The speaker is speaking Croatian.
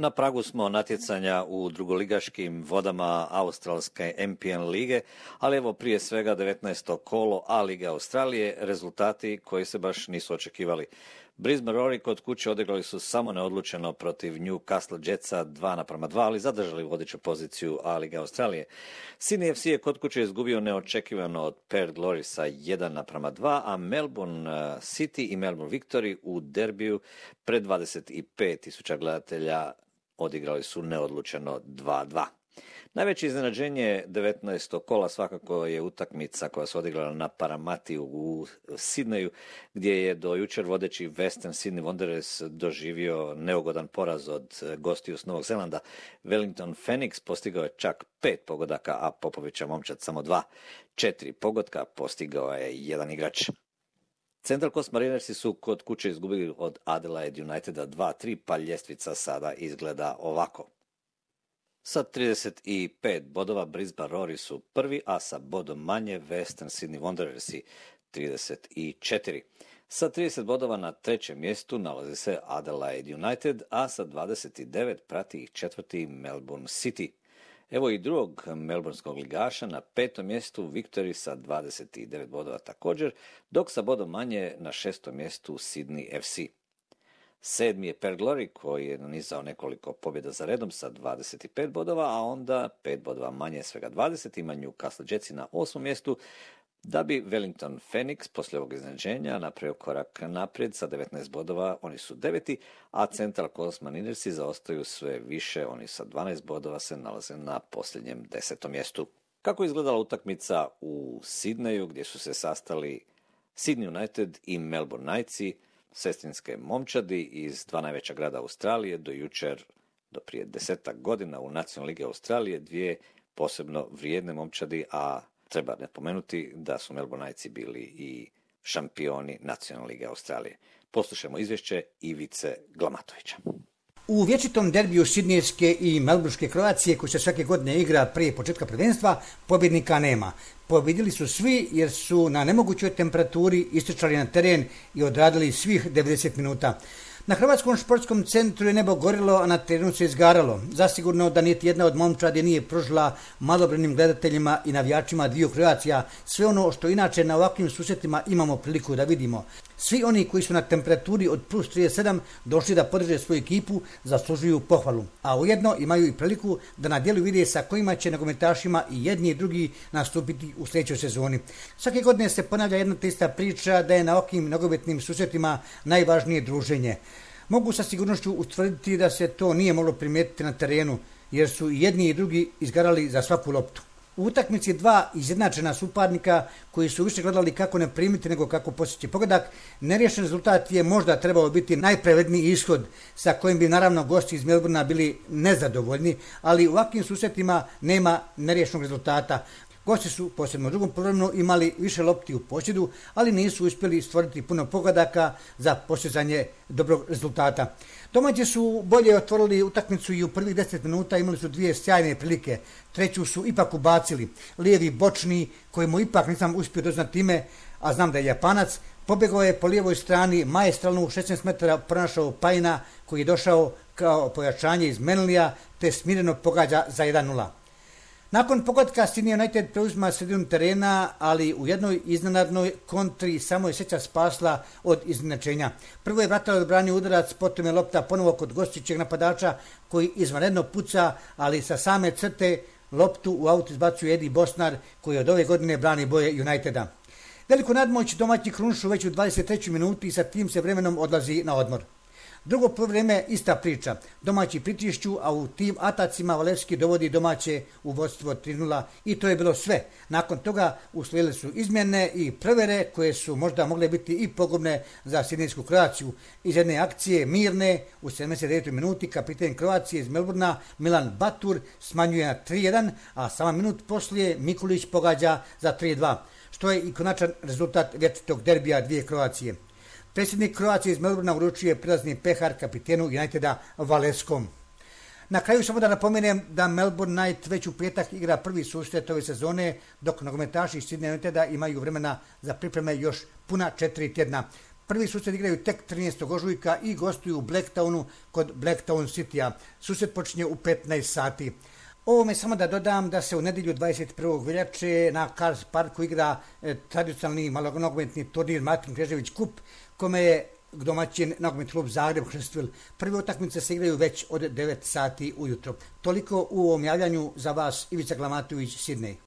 Na pragu smo natjecanja u drugoligaškim vodama australske MPN lige, ali evo prije svega 19. kolo A lige Australije, rezultati koji se baš nisu očekivali. Brisbane Roar kod kuće odigrali su samo neodlučeno protiv Newcastle Jetsa 2:2, ali zadržali vodeću poziciju A lige Australije. Sydney FC je kod kuće izgubio neočekivano od Perth Glory sa 1:2, a Melbourne City i Melbourne Victory u derbiju pred 25.000 gledatelja odigrali su neodlučeno 2:2. Najveće iznenađenje 19. kola svakako je utakmica koja se odigrala na Paramatiju u Sidneju, gdje je do jučer vodeći Western Sydney Wanderers doživio neugodan poraz od gostiju s Novog Zelanda. Wellington Phoenix postigao je čak 5 pogodaka, a Popovića momčad samo 2. 4 pogotka postigao je jedan igrač. Central Coast Marinersi su kod kuće izgubili od Adelaide Uniteda 2:3, pa ljestvica sada izgleda ovako. Sa 35 bodova Brisbane Roar su prvi, a sa bodom manje Western Sydney Wanderersi 34. Sa 30 bodova na trećem mjestu nalazi se Adelaide United, a sa 29 prati ih četvrti Melbourne City. Evo i drugog melbourneskog ligaša na petom mjestu Victory sa 29 bodova također, dok sa bodom manje na šestom mjestu Sydney FC. Sedmi je Perth Glory koji je nanizao nekoliko pobjeda za redom sa 25 bodova, a onda 5 bodova manje, svega 20, ima Newcastle Jetsi na 8. mjestu, da bi Wellington Phoenix poslije ovog iznenađenja napravio korak naprijed sa 19 bodova, oni su 9, a Central Coast Marinersi zaostaju sve više, oni sa 12 bodova se nalaze na posljednjem 10. mjestu. Kako je izgledala utakmica u Sidneju gdje su se sastali Sydney United i Melbourne Knightsi, sestrinske momčadi iz dva najveća grada Australije, do jučer, do prije 10 godina u Nacionalnoj ligi Australije, dvije posebno vrijedne momčadi, a treba napomenuti da su Melbourne Knightsi bili i šampioni Nacionalne lige Australije. Poslušajmo izvješće Ivice Glamatovića. U vječitom derbiju sidnijske i melburške Kroacije, koji se svake godine igra prije početka prvenstva, pobjednika nema. Pobjedili su svi jer su na nemogućoj temperaturi istrčali na teren i odradili svih 90 minuta. Na Hrvatskom športskom centru je nebo gorilo, a na terenu se izgaralo. Zasigurno da niti jedna od momčadi nije pružila malobrojnim gledateljima i navijačima dviju Kroacija sve ono što inače na ovakvim susretima imamo priliku da vidimo. Svi oni koji su na temperaturi od plus 37 došli da podrže svoju ekipu zaslužuju pohvalu, a ujedno imaju i priliku da na djelu vide sa kojima će nogometašima i jedni i drugi nastupiti u sljedećoj sezoni. Svake godine se ponavlja jedna te ista priča da je na ovakvim nogometnim susretima najvažnije druženje. Mogu sa sigurnošću utvrditi da se to nije moglo primijetiti na terenu, jer su i jedni i drugi izgarali za svaku loptu. U utakmici dva izjednačena suparnika koji su više gledali kako ne primiti nego kako postići pogodak, neriješen rezultat je možda trebao biti najpravedniji ishod sa kojim bi naravno gosti iz Melbournea bili nezadovoljni, ali u ovakvim susretima nema neriješenog rezultata. Gosti su, posebno u drugom poluvremenu, imali više lopti u posjedu, ali nisu uspjeli stvoriti puno pogodaka za postizanje dobrog rezultata. Domaći su bolje otvorili utakmicu i u prvih 10 minuta imali su dvije sjajne prilike. Treću su ipak ubacili. Lijevi bočni, kojemu ipak nisam uspio doznati ime, a znam da je Japanac, pobjegao je po lijevoj strani, maestralno u 16 metara pronašao Pajina, koji je došao kao pojačanje iz Menlija, te smireno pogađa za 1:0. Nakon pogotka Sydney United preuzima sredinu terena, ali u jednoj iznenadnoj kontri samo je sreća spasla od iznenačenja. Prvo je Vratal odbranio udarac, potom je lopta ponovo kod gostujućeg napadača koji izvanredno puca, ali sa same crte loptu u aut izbacuje Eddie Bosnar koji od ove godine brani boje Uniteda. Veliku nadmoć domaći krunišu već u 23. minuti i sa tim se vremenom odlazi na odmor. Drugo poluvreme ista priča. Domaći pritišću, a u tim atacima Valevski dovodi domaće u vodstvo 3:0 i to je bilo sve. Nakon toga uslijedile su izmjene i prevere koje su možda mogle biti i pogubne za sidnejsku Kroaciju. Iz jedne akcije mirne u 79. minuti kapiten Kroacije iz Melbournea Milan Batur smanjuje na 3:1, a samo minut poslije Mikulić pogađa za 3:2, što je i konačan rezultat vječitog derbija dvije Kroacije. Predsjednik Kroacije iz Melbournea uručuje prilazni pehar kapitenu Uniteda Valevskom. Na kraju samo da napomenem da Melbourne Knight već u petak igra prvi susret ove sezone, dok nogometaši iz Sydney Uniteda imaju vremena za pripreme još puna 4 tjedna. Prvi susret igraju tek 13. ožujka i gostuju u Blacktownu kod Blacktown Citya. Susret počinje u 15 sati. Ovome samo da dodam da se u nedjelju 21. veljače na Cars Parku igra tradicionalni malonogometni turnir Martin Knežević Kup, kome je domaćin nogometni klub Zagreb Hrstvil. Prve utakmice se igraju već od 9 sati ujutro. Toliko u ovom javljanju za vas, Ivica Glamatović, Sidney.